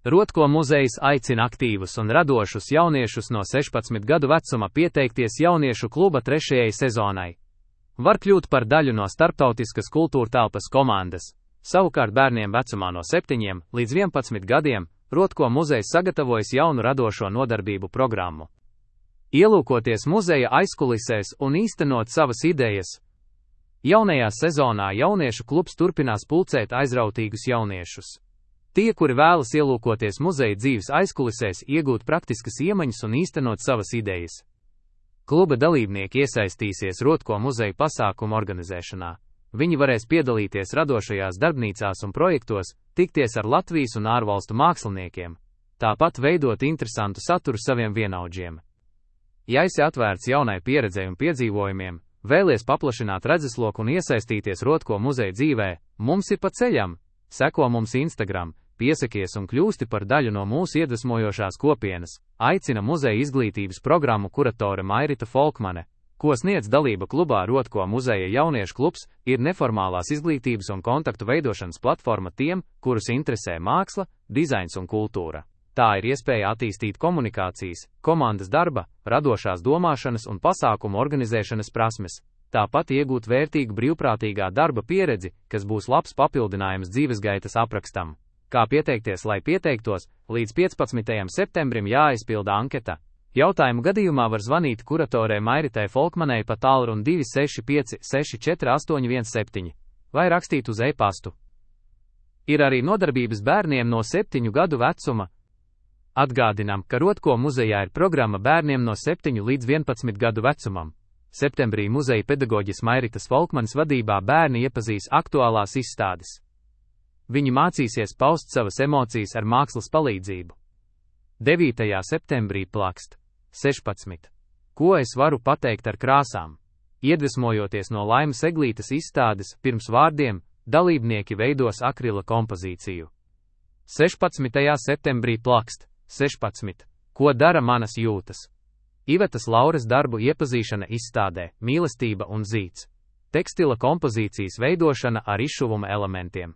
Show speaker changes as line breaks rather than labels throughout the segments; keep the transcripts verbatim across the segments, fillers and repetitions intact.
Rotko muzejs aicina aktīvus un radošus jauniešus no sešpadsmit gadu vecuma pieteikties jauniešu kluba trešajai sezonai. Var kļūt par daļu no starptautiskas kultūrtelpas komandas. Savukārt bērniem vecumā no septiņiem līdz vienpadsmit gadiem Rotko muzejs sagatavojas jaunu radošo nodarbību programmu. Ielūkoties muzeja aizkulisēs un īstenot savas idejas. Jaunajā sezonā jauniešu klubs turpinās pulcēt aizrautīgus jauniešus. Tie, kuri vēlas ielūkoties muzeja dzīves aizkulisēs, iegūt praktiskas iemaņas un īstenot savas idejas. Kluba dalībnieki iesaistīsies Rotko muzeja pasākumu organizēšanā. Viņi varēs piedalīties radošajās darbnīcās un projektos, tikties ar Latvijas un ārvalstu māksliniekiem, tāpat veidot interesantu saturu saviem vienaudžiem. Ja esi atvērts jaunai pieredzei un piedzīvojumiem, vēlies paplašināt redzesloku un iesaistīties Rotko muzeja dzīvē, mums ir pa ceļam. Seko mums Instagram, piesakies un kļūsti par daļu no mūsu iedvesmojošās kopienas, aicina muzeja izglītības programmu kuratore Mairita Folkmane, ko sniedz dalība klubā Rotko muzeja jauniešu klubs, ir neformālās izglītības un kontaktu veidošanas platforma tiem, kurus interesē māksla, dizains un kultūra. Tā ir iespēja attīstīt komunikācijas, komandas darba, radošās domāšanas un pasākumu organizēšanas prasmes, tāpat iegūt vērtīgu brīvprātīgā darba pieredzi, kas būs labs papildinājums dzīvesgaitas aprakstam. Kā pieteikties, lai pieteiktos, līdz piecpadsmitajam septembrim jāaizpilda anketa. Jautājumu gadījumā var zvanīt kuratorei Mairitai Folkmanei pa tālruni divi seši pieci seši četri astoņi viens septiņi vai rakstīt uz e-pastu. Ir arī nodarbības bērniem no septiņu gadu vecuma. Atgādinām, ka Rotko muzejā ir programma bērniem no septiņu līdz vienpadsmit gadu vecumam. Septembrī muzeja pedagoģis Mairitas Folkmanes vadībā bērni iepazīs aktuālās izstādes. Viņi mācīsies paust savas emocijas ar mākslas palīdzību. devītajā septembrī plakst. sešpadsmit. Ko es varu pateikt ar krāsām? Iedvesmojoties no Laimas Eglītes izstādes, pirms vārdiem, dalībnieki veidos akrila kompozīciju. sešpadsmitajā septembrī plakst. sešpadsmit. Ko dara manas jūtas? Ivetas Lauras darbu iepazīšana izstādē, mīlestība un zīds. Tekstila kompozīcijas veidošana ar izšuvuma elementiem.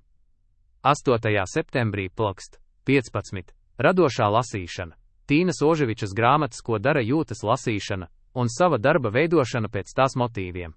astotajā septembrī plakst. piecpadsmit. Radošā lasīšana. Tīnas Oževičas grāmatas Ko dara jūtas lasīšana un sava darba veidošana pēc tās motīviem.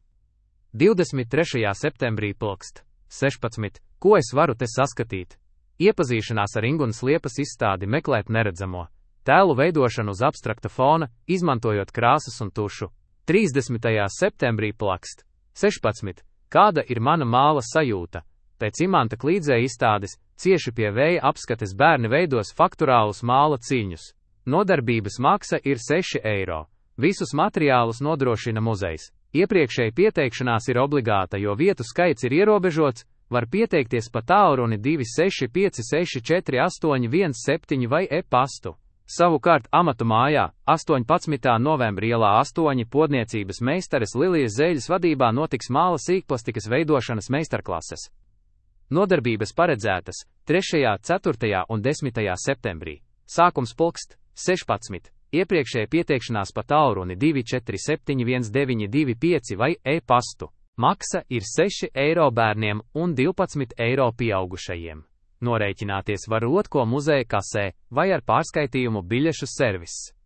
divdesmit trešajā septembrī plakst. sešpadsmit. Ko es varu te saskatīt? Iepazīšanās ar Ingunas Liepas izstādi Meklēt neredzamo. Tēlu veidošanu uz abstrakta fona, izmantojot krāsas un tušu. trīsdesmitajā septembrī plakst. sešpadsmit. Kāda ir mana māla sajūta? Pēc Imanta Klīdzē izstādes, cieši pie vēja apskates bērni veidos fakturālus māla ciņus. Nodarbības maksa ir seši eiro. Visus materiālus nodrošina muzejs. Iepriekšēji pieteikšanās ir obligāta, jo vietu skaits ir ierobežots, var pieteikties pa tālruni divi seši pieci seši četri astoņi viens septiņi vai e-pastu. Savukārt amatu mājā, astoņpadsmitā novembra ielā astoņi podniecības meistares Lilijas Zēļas vadībā notiks māla sīkplastikas veidošanas meistarklases. Nodarbības paredzētas trešajā, ceturtajā un desmitajā septembrī. Sākums pulkst sešpadsmit. Iepriekšēja pieteikšanās pa tālruni divi četri septiņi viens deviņi divi pieci vai e-pastu. Maksa ir seši eiro bērniem un divpadsmit eiro pieaugušajiem. Norēķināties var Rotko muzeja kasē vai ar pārskaitījumu biļešu serviss.